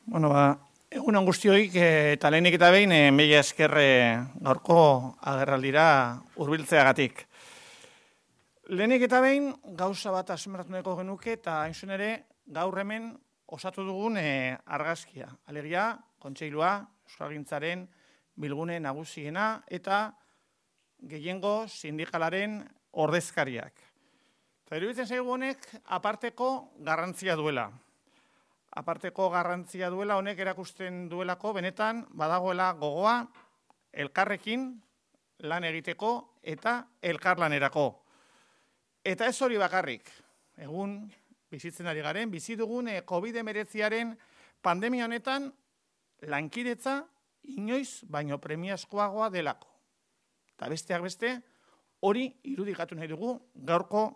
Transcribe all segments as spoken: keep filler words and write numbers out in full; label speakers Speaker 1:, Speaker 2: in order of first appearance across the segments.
Speaker 1: Bueno, ba, egun on guztioik eta lehenik eta behin e, mila esker gaurko agerraldira hurbiltzeagatik. Lehenik eta behin gauza bat azpimarratu nahiko genuke eta hain zuzen ere gaur hemen osatu dugun e, argazkia. Alegia, kontseilua, euskalgintzaren bilgune nagusiena eta gehiengo sindikalaren ordezkariak. Eta iruditzen zaigu honek aparteko garrantzia duela. Aparteko garrantzia duela honek erakusten duelako benetan badagoela gogoa elkarrekin lan egiteko eta elkarlanerako. Eta ez hori bakarrik, egun bizitzen ari garen, bizi dugun covid hemeretziaren pandemia honetan lankidetza inoiz baino premiazkoagoa delako. Eta besteak beste hori irudikatu nahi dugu gaurko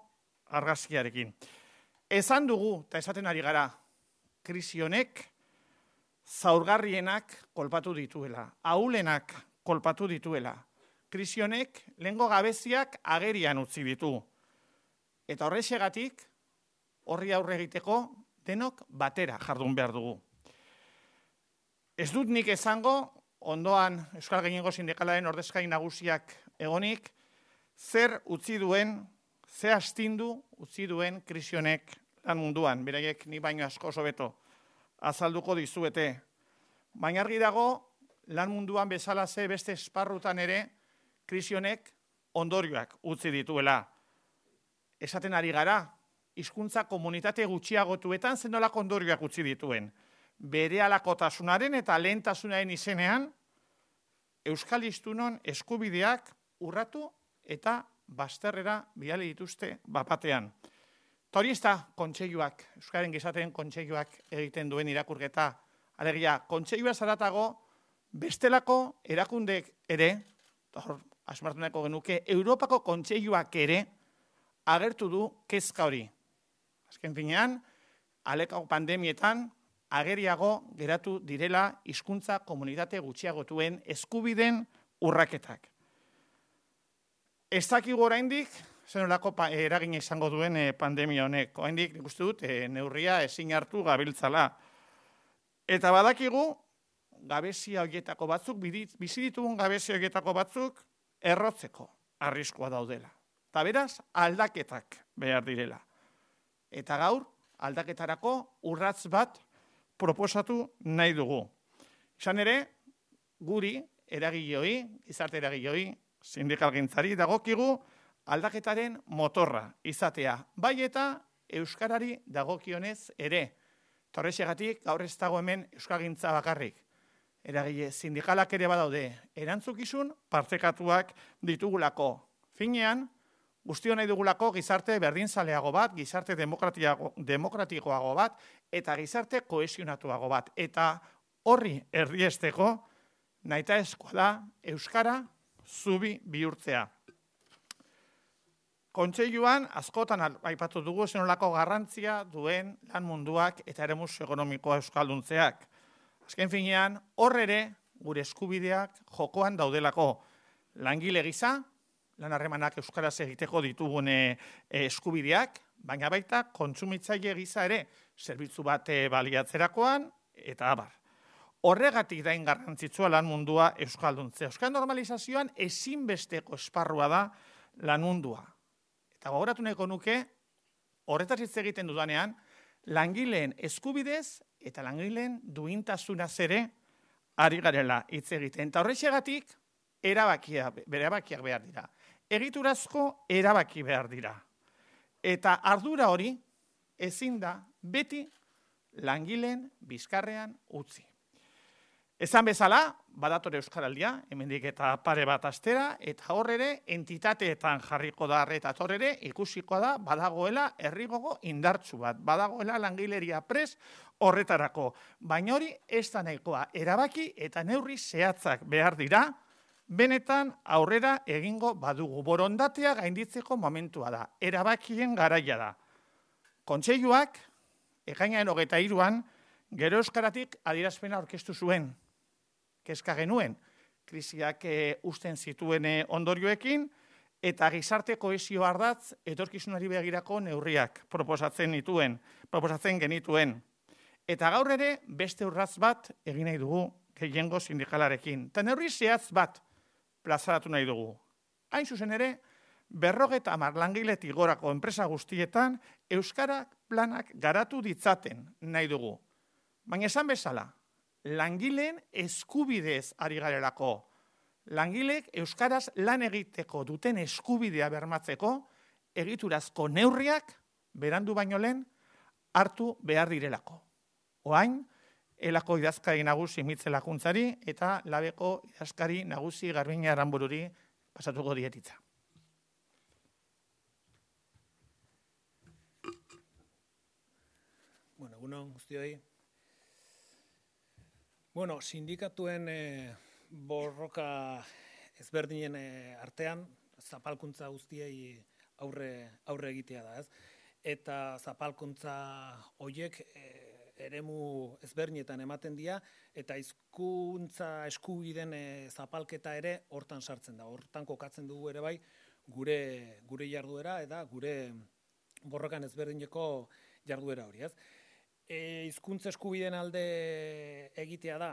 Speaker 1: argazkiarekin. Esan dugu eta esaten ari gara, krisi honek zaurgarrienak kolpatu dituela, ahulenak kolpatu dituela. Krisi honek lehengo gabeziak agerian utzi ditu. Eta horrexegatik horri aurre egiteko denok batera jardun behar dugu. Ez dut nik esango, ondoan Euskal Gehiengo Sindikalaren ordezkari nagusiak egonik, zer utzi duen, ze astindu utzi duen krisi honek lan munduan, beraiek ni baino asko hobeto azalduko dizuete. Baina argi dago, lan munduan bezala ze beste esparrutan ere, krisi honek ondorioak utzi dituela. Esaten ari gara, hizkuntza komunitate gutxiagotuetan zenolako ondorioak utzi dituen. Berehalakotasunaren eta lehentasunaren izenean, euskal hiztunon eskubideak urratu eta bazterrera bidali dituzte bapatean. Eta hori ez da kontseiluak, Euskaren Gizateen kontseiluak egiten duen irakurketa. Alegia, kontseilua zaratago bestelako erakundek ere, hor asmartu nahiko genuke, Europako kontseiluak ere agertu du kezka hori. Azken finean, alekako pandemietan ageriago geratu direla hizkuntza komunitate gutxiagotuen eskubideen urraketak. Ez dakigu oraindik, zenolako eragina izango duen pandemia honek. Oraindik nik uste dut neurria ezin hartu gabiltzala. Eta badakigu, gabezia horietako batzuk, bizi ditugun gabezia horietako batzuk, errotzeko arriskua daudela. Eta beraz, aldaketak behar direla. Eta gaur, aldaketarako urratz bat proposatu nahi dugu. Izan ere, guri, eragileoi, gizarte eragileoi, sindikalgintzari dagokigu, aldaketaren motorra izatea, bai eta euskarari dagokionez ere. Horrexegatik gaur ez dago hemen euskalgintza bakarrik. Eragile sindikalak ere badaude, erantzukizun partekatuak ditugulako. Finean, guztio nahi dugulako gizarte berdinzaleago bat, gizarte demokratikoago bat, eta gizarte kohesionatuago bat. Eta horri erdiesteko, nahitaezkoa da euskara zubi bihurtzea. Kontseiluan, askotan aipatu dugu zenolako garrantzia duen lan munduak eta eremu ekonomikoa euskalduntzeak. Azken finean, hor ere gure eskubideak jokoan daudelako. Langile gisa, lan harremanak euskaraz egiteko ditugun eskubideak, baina baita kontsumitzaile gisa ere, zerbitzu bat baliatzerakoan eta abar. Horregatik dain garrantzitsua lan mundua euskalduntzea. Euskal normalizazioan ezinbesteko esparrua da lan mundua. Eta gogoratu nahiko nuke, horretaz hitz egiten dudanean, langileen eskubidez eta langileen duintasunaz ere ari garela hitz egiten. Eta horrexegatik erabakiak, erabakiak behar dira. Egiturazko erabaki behar dira. Eta ardura hori ezin da beti langileen bizkarrean utzi. Esan bezala, badatore euskaraldia, hemendik eta pare bat astera, eta hor ere entitateetan jarriko da, eta hor ere ikusiko da badagoela herrigogo indartsu bat, badagoela langileria pres horretarako. Baina hori ez da nahikoa, erabaki eta neurri zehatzak behar dira, benetan aurrera egingo badugu. Borondatea gainditzeko momentua da, erabakien garaia da. Kontseiluak, ekainaren hogeita hiruan, gero euskaratik adierazpena aurkeztu zuen. Kezka genuen, krisiak e, usten zituen e, ondorioekin, eta gizarte kohesio ardatz etorkizunari begirako neurriak proposatzen dituen, proposatzen genituen. Eta gaur ere beste urratz bat egin nahi dugu gehiengo sindikalarekin. Eta neurri zehatz bat plazaratu nahi dugu. Hain zuzen ere, berrogeta hamar langiletik gorako enpresa guztietan euskara planak garatu ditzaten nahi dugu. Baina esan bezala, langileen eskubidez ari garelako. Langileek euskaraz lan egiteko duten eskubidea bermatzeko egiturazko neurriak berandu baino lehen hartu behar direlako. Oain, elako idazkari nagusi Mitze Lakuntzari eta labeko idazkari nagusi Garbina Aranbururi pasatuko dietitza.
Speaker 2: Bueno, egunon guztioi. Bueno, sindikatuen eh, borroka ezberdinen eh, artean, zapalkuntza guztiei aurre, aurre egitea da, ez? Eta zapalkuntza horiek eh, eremu ezberdinetan ematen dira, eta hizkuntza eskubideen e, zapalketa ere hortan sartzen da. Hortan kokatzen dugu ere bai gure gure jarduera eta gure borrokan ezberdineko jarduera hori, ez? E, hizkuntza eskubideen alde egitea da,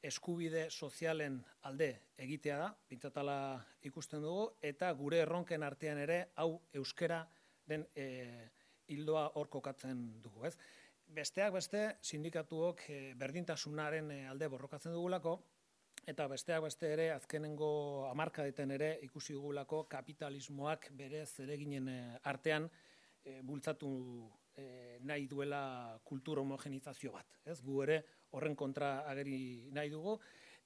Speaker 2: eskubide sozialen alde egitea da, pintzatala ikusten dugu, eta gure erronken artean ere hau euskera den e, hildoa hor kokatzen dugu, ez? Besteak beste, sindikatuok e, berdintasunaren alde borrokatzen dugulako, eta besteak beste ere, azkenengo hamarkadeten ere ikusi dugulako kapitalismoak bere zereginen artean e, bultzatu e, nahi duela kultur homogenizazio bat. Ez? Gu ere horren kontra ageri nahi dugu,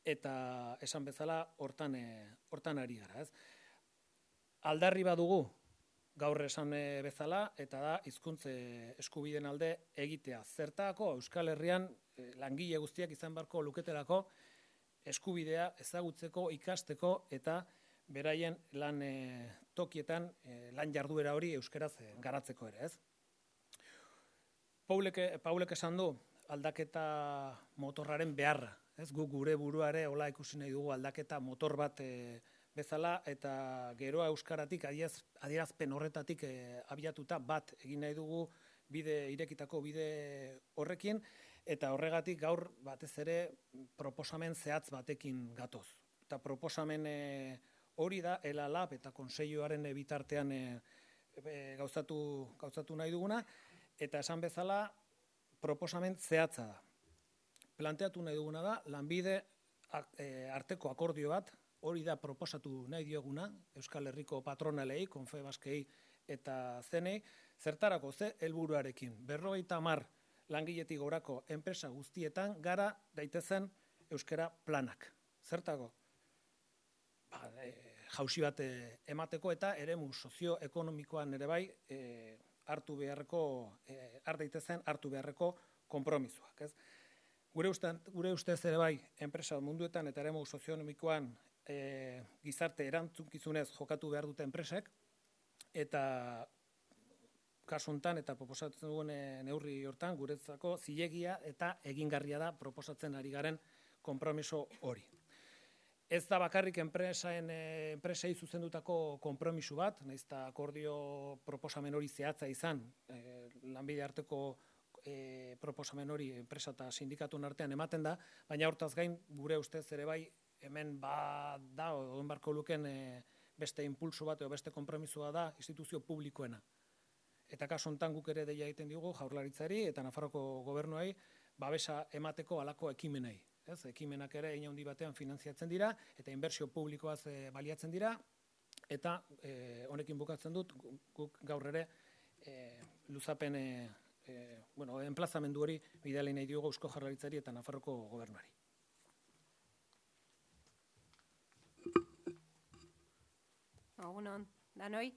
Speaker 2: eta esan bezala hortan, e, hortan ari gara. Ez? Aldarri badugu, gaur esan bezala, eta da hizkuntza eskubideen alde egitea. Zertako Euskal Herrian langile guztiak izan beharko luketelako eskubidea ezagutzeko, ikasteko eta beraien lan e, tokietan e, lan jarduera hori euskaraz e, garatzeko ere, ez? Paulek, Paulek esan du aldaketa motorraren beharra, ez? Gu gure buruare hola ikusi nahi dugu aldaketa motor bat e, bezala, eta geroa euskaratik adierazpen horretatik e, abiatuta bat egin nahi dugu bide irekitako bide horrekin, eta horregatik gaur batez ere proposamen zehatz batekin gatoz. Eta proposamen e, hori da Ela Lab eta Kontseiluaren bitartean e, e, gauzatu, gauzatu nahi duguna, eta esan bezala proposamen zehatza da. Planteatu nahi duguna da lanbide e, arteko akordio bat, hori da proposatu nahi dioguna, Euskal Herriko patronalei, Konfebaskei eta zenei, zertarako ze helburuarekin. Berrogeita hamar langiletik gorako enpresa guztietan gara daitezen euskara planak. Zertako? Ba, e, jausi bat e, emateko eta eremu sozioekonomikoan ere bai e, hartu beharreko, e, har daitezen hartu beharreko konpromisoak. Ez? Gure, uste, gure ustez ere bai enpresa munduetan eta eremu sozioekonomikoan E, gizarte erantzunkizunez jokatu behar dute enpresek, eta kasu hontan eta proposatzen duen neurri hortan guretzako zilegia eta egingarria da proposatzen ari garen konpromiso hori. Ez da bakarrik enpresaen enpresei zuzendutako konpromiso bat, nahiz eta akordio proposamen hori zehatza izan, e, lanbide arteko e, proposamen hori enpresa eta sindikatuen artean ematen da, baina hortaz gain gure ustez ere bai hemen ba da, oen barko luken e, beste impulso bat, edo beste konpromisoa da instituzio publikoena. Eta kasu honetan guk ere deia egiten digu Jaurlaritzari eta Nafarroko gobernuei babesa emateko halako ekimenei. Ez? Ekimenak ere hein handi batean finantziatzen dira, eta inbertsio publikoaz e, baliatzen dira, eta e, honekin bukatzen dut, guk gaur ere e, luzapen, e, e, bueno, enplazamendu hori bidali nahi diogu Eusko Jaurlaritzari eta Nafarroko gobernuari.
Speaker 3: Egunon, danoi.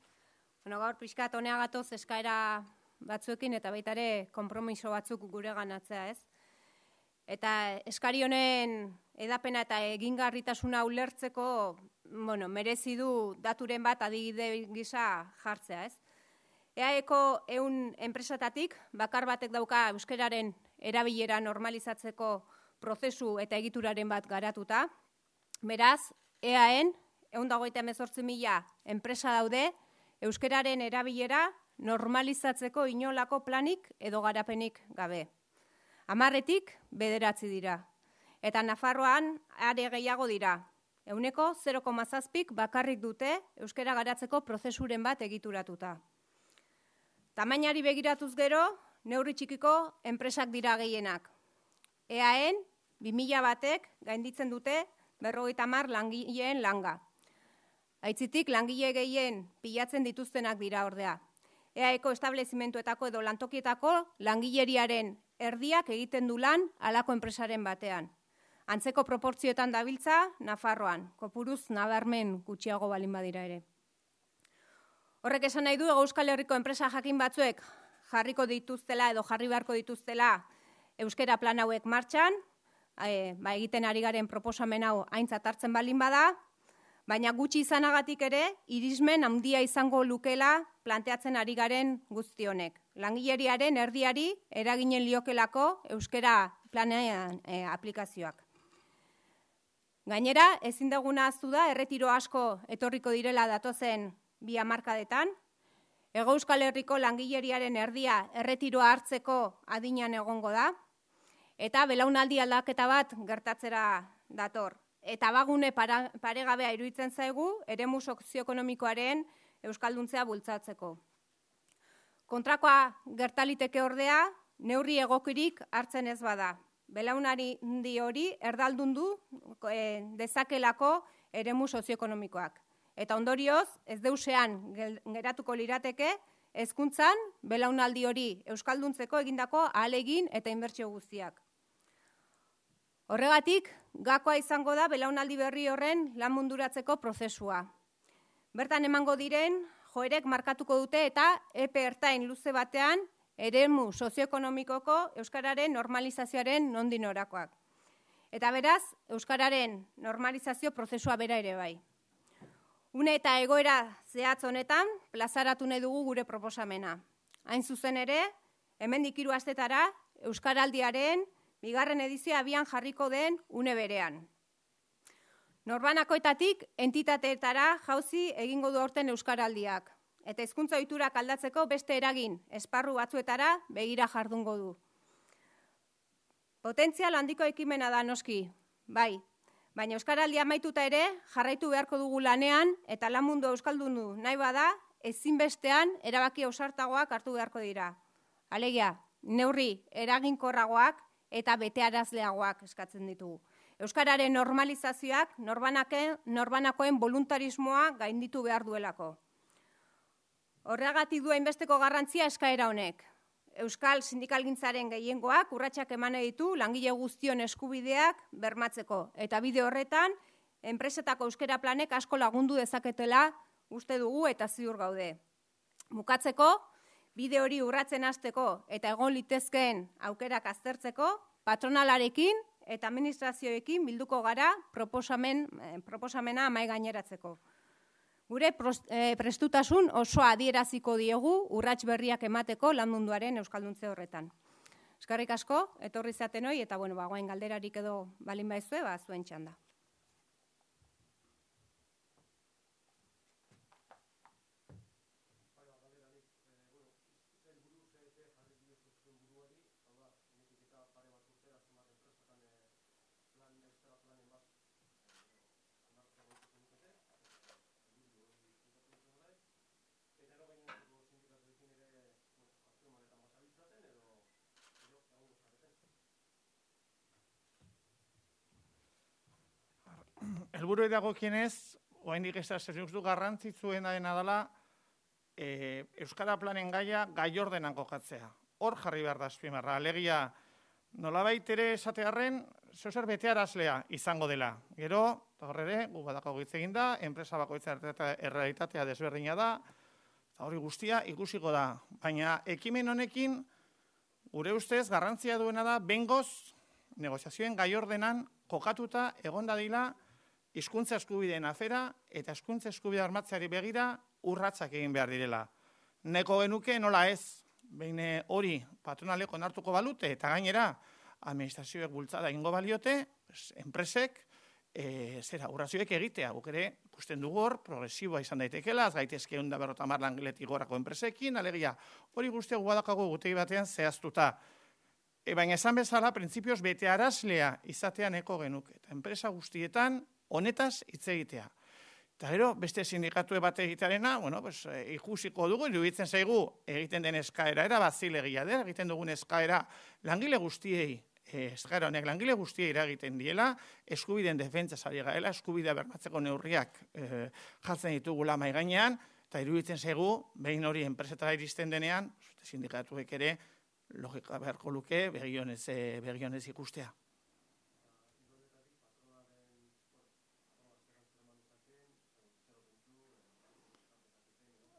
Speaker 3: Bueno, gaur pixkat honea gatoz eskaera batzuekin eta baita ere konpromiso batzuk gure ganatzea, ez? Eta eskari honen edapena eta egingarritasuna ulertzeko, bueno, merezi du daturen bat adibide gisa jartzea, ez? E A Eko ehun enpresatatik bakar batek dauka euskararen erabilera normalizatzeko prozesu eta egituraren bat garatuta. Beraz, E A En ehun eta hogeita hemezortzi mila enpresa daude euskararen erabilera normalizatzeko inolako planik edo garapenik gabe. Hamarretik bederatzi dira. Eta Nafarroan are gehiago dira. Ehuneko zero koma zazpik bakarrik dute euskara garatzeko prozesuren bat egituratuta. Tamainari begiratuz gero, neurri txikiko enpresak dira gehienak. E A En, bi mila batek gainditzen dute berrogeita hamar langileen langa. Aitzitik langile gehien pilatzen dituztenak dira ordea. E A Eko establezimentuetako edo lantokietako langileriaren erdiak egiten du lan halako enpresaren batean. Antzeko proportzioetan dabiltza Nafarroan, kopuruz nabarmen gutxiago balin badira ere. Horrek esan nahi du Euskal Herriko enpresa jakin batzuek jarriko dituztela edo jarri beharko dituztela euskera plan hauek martxan, e, ba, egiten ari garen proposamen hau aintzat hartzen balin bada, baina gutxi izanagatik ere, irismen handia izango lukela planteatzen ari garen guzti honek. Langileriaren erdiari eraginen liokelako euskera planean e, aplikazioak. Gainera, ezin duguna ahaztu da, erretiro asko etorriko direla datozen bi hamarkadetan, Hego Euskal Herriko langileriaren erdia erretiroa hartzeko adinean egongo da, eta belaunaldi aldaketa bat gertatzera dator. Eta bagune para, paregabea iruditzen zaigu, eremu sozioekonomikoaren euskalduntzea bultzatzeko. Kontrakoa gertaliteke ordea, neurri egokirik hartzen ez bada. Belaunari hori erdaldundu e, dezakelako eremu sozioekonomikoak. Eta ondorioz, ez deusean geratuko lirateke, hezkuntzan belaunaldi hori euskalduntzeko egindako ahalegin eta inbertsio guztiak. Horregatik, gakoa izango da belaunaldi berri horren lan munduratzeko prozesua. Bertan emango diren, joerek markatuko dute eta epe ertain luze batean eremu sozioekonomikoko euskararen normalizazioaren nondik norakoak. Eta beraz, euskararen normalizazio prozesua bera ere bai. Une eta egoera zehatz honetan, plazaratu nahi dugu gure proposamena. Hain zuzen ere, hemendik hiru astetara, Euskaraldiaren bigarren edizioa abian jarriko den une berean. Norbanakoetatik entitateetara jauzi egingo du aurten Euskaraldiak, eta hizkuntza ohiturak aldatzeko beste eragin esparru batzuetara begira jardungo du. Potentzial handiko ekimena da noski, bai, baina Euskaraldia amaituta ere jarraitu beharko dugu lanean eta lan mundu euskaldundu nahi bada ezinbestean erabaki ausartagoak hartu beharko dira. Alegia, neurri eraginkorragoak eta betearazleagoak eskatzen ditugu. Euskararen normalizazioak norbanakoen voluntarismoa gainditu behar duelako. Horregatik du hainbesteko garrantzia eskaera honek. Euskal sindikalgintzaren gehiengoak urratsak eman ditu langile guztion eskubideak bermatzeko. Eta bide horretan, enpresetako euskera planek asko lagundu dezaketela uste dugu eta ziur gaude. Bukatzeko, bide hori urratzen hasteko eta egon litezkeen aukerak aztertzeko, patronalarekin eta administrazioekin bilduko gara proposamen, proposamena mahai gaineratzeko. Gure prestutasun osoa adieraziko diegu urrats berriak emateko lan munduaren euskalduntze horretan. Eskerrik asko, etorri zaten hoi, eta bueno, ba, guain galderarik edo balin baizue, ba, zuen txanda.
Speaker 1: Helburu dagokienez, oraindik ez da zeruzdu garrantzitsuena dena dela e, Euskara planen gaia gai ordenan kokatzea. Hor jarri behar da azpimarra. Alegia, nolabait ere esatearren, zeozer betearazlea izango dela. Gero, hor ere, gu badako hitz egin da, enpresa bakoitza errealitatea desberdina da, eta hori guztia ikusiko da. Baina ekimen honekin, gure ustez, garrantzia duena da, bengoz, negoziazioen gai ordenan kokatuta egon dadila hizkuntza eskubideen afera eta hizkuntza eskubidea armatzeari begira urratsak egin behar direla. Neko genuke nola ez, behin hori patronaleko onartuko balute eta gainera administrazioek bultzada egingo baliote, enpresek e, zera urrazioek egitea, guk ere ikusten dugu hor, progresiboa izan daitekela, az gaitezke ehun eta berrogeita hamar langiletik gorako enpresekin, alegia hori guztia guadakago gutegi batean zehaztuta. E, baina esan bezala, printzipioz bete arazlea izatean eko genuke. Eta enpresa guztietan honetaz hitz egitea. Eta gero, beste sindikatue bat egitearena, bueno, pues, e, ikusiko dugu, iruditzen zaigu egiten den eskaera, era bat zilegia da, egiten dugun eskaera langile guztiei, e, eskaera honek langile guztiei eragiten diela, eskubideen defentsa ari gaela, eskubidea bermatzeko neurriak e, jartzen ditugula mahai gainean, eta iruditzen zaigu, behin hori enpresetara iristen denean, sindikatuek ere, logika beharko luke, begionez, e, begionez ikustea.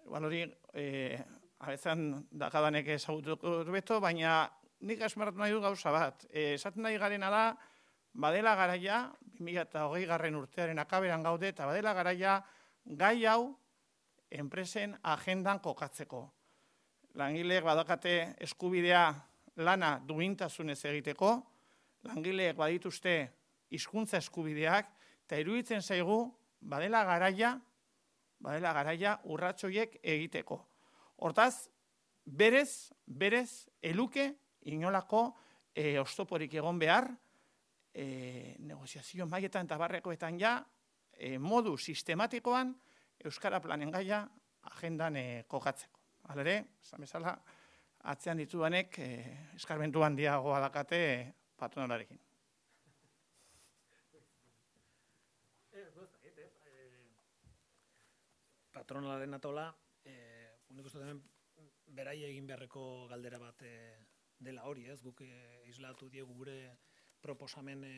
Speaker 1: Igual hori, eh, abezan dakadanek ezagutuko beto, baina nik esmeratu nahi du gauza bat. Eh, esaten nahi garena da, badela garaia, bi mila hogei garren urtearen akaberan gaude, eta badela garaia gai hau enpresen agendan kokatzeko. Langileek badakate eskubidea lana duintasunez egiteko, langileek badituzte hizkuntza eskubideak, eta iruditzen zaigu badela garaia, badela garaia urratsoiek egiteko. Hortaz, berez, berez, eluke inolako e, oztoporik egon behar, e, negoziazio maietan eta barrekoetan ja, e, modu sistematikoan Euskara planen gaia agendan e, kokatzeko. Halere, esan bezala, atzean dituanek e, eskarmentu handiagoa dakate e, patronalarekin.
Speaker 2: Patronalaren atola, e, unik uste hemen berai egin beharreko galdera bat e, dela hori, ez? Guk e, islatu diegu gure proposamen e,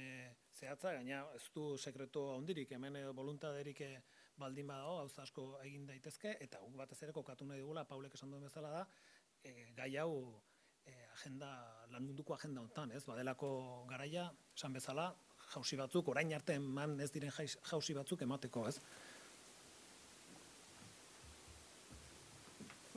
Speaker 2: zehatza, gaina ez du sekretu handirik, hemen e, voluntaderik e, baldin badago, gauza asko egin daitezke, eta guk batez ere kokatu nahi dugula, Paulek esan duen bezala da, e, gai hau e, agenda, lan munduko agenda honetan, ez? Badelako garaia, esan bezala, jauzi batzuk, orain arte eman ez diren jauzi batzuk emateko, ez?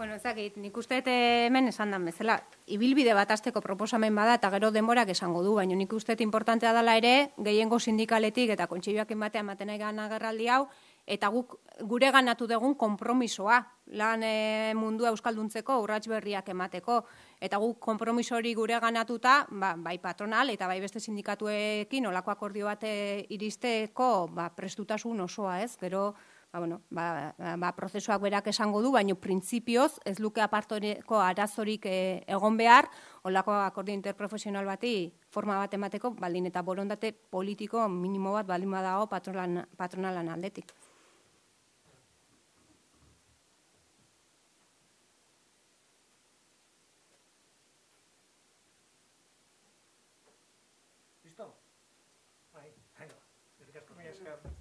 Speaker 3: Bueno, ezakit, nik uste hemen esan dan bezala, ibilbide bat azteko proposamen bada eta gero denborak esango du, baina nik uste importantea dela ere, gehiengo sindikaletik eta kontseilioak batean ematen nahi gana agerraldi hau, eta guk gure ganatu dugun konpromisoa, lan e, mundua euskalduntzeko urrats berriak emateko, eta guk konpromiso hori gure ganatuta, ba, bai patronal eta bai beste sindikatuekin olako akordio bat iristeko ba, prestutasun osoa, ez? Gero, Ba, bueno, ba, ba, prozesuak berak esango du, baina printzipioz ez luke apartoreko arazorik e, egon behar, olako akordio interprofesional bati forma bat emateko, baldin eta borondate politiko minimo bat baldin badago patronalan, patronalan aldetik.
Speaker 2: Listo? Bai, haino.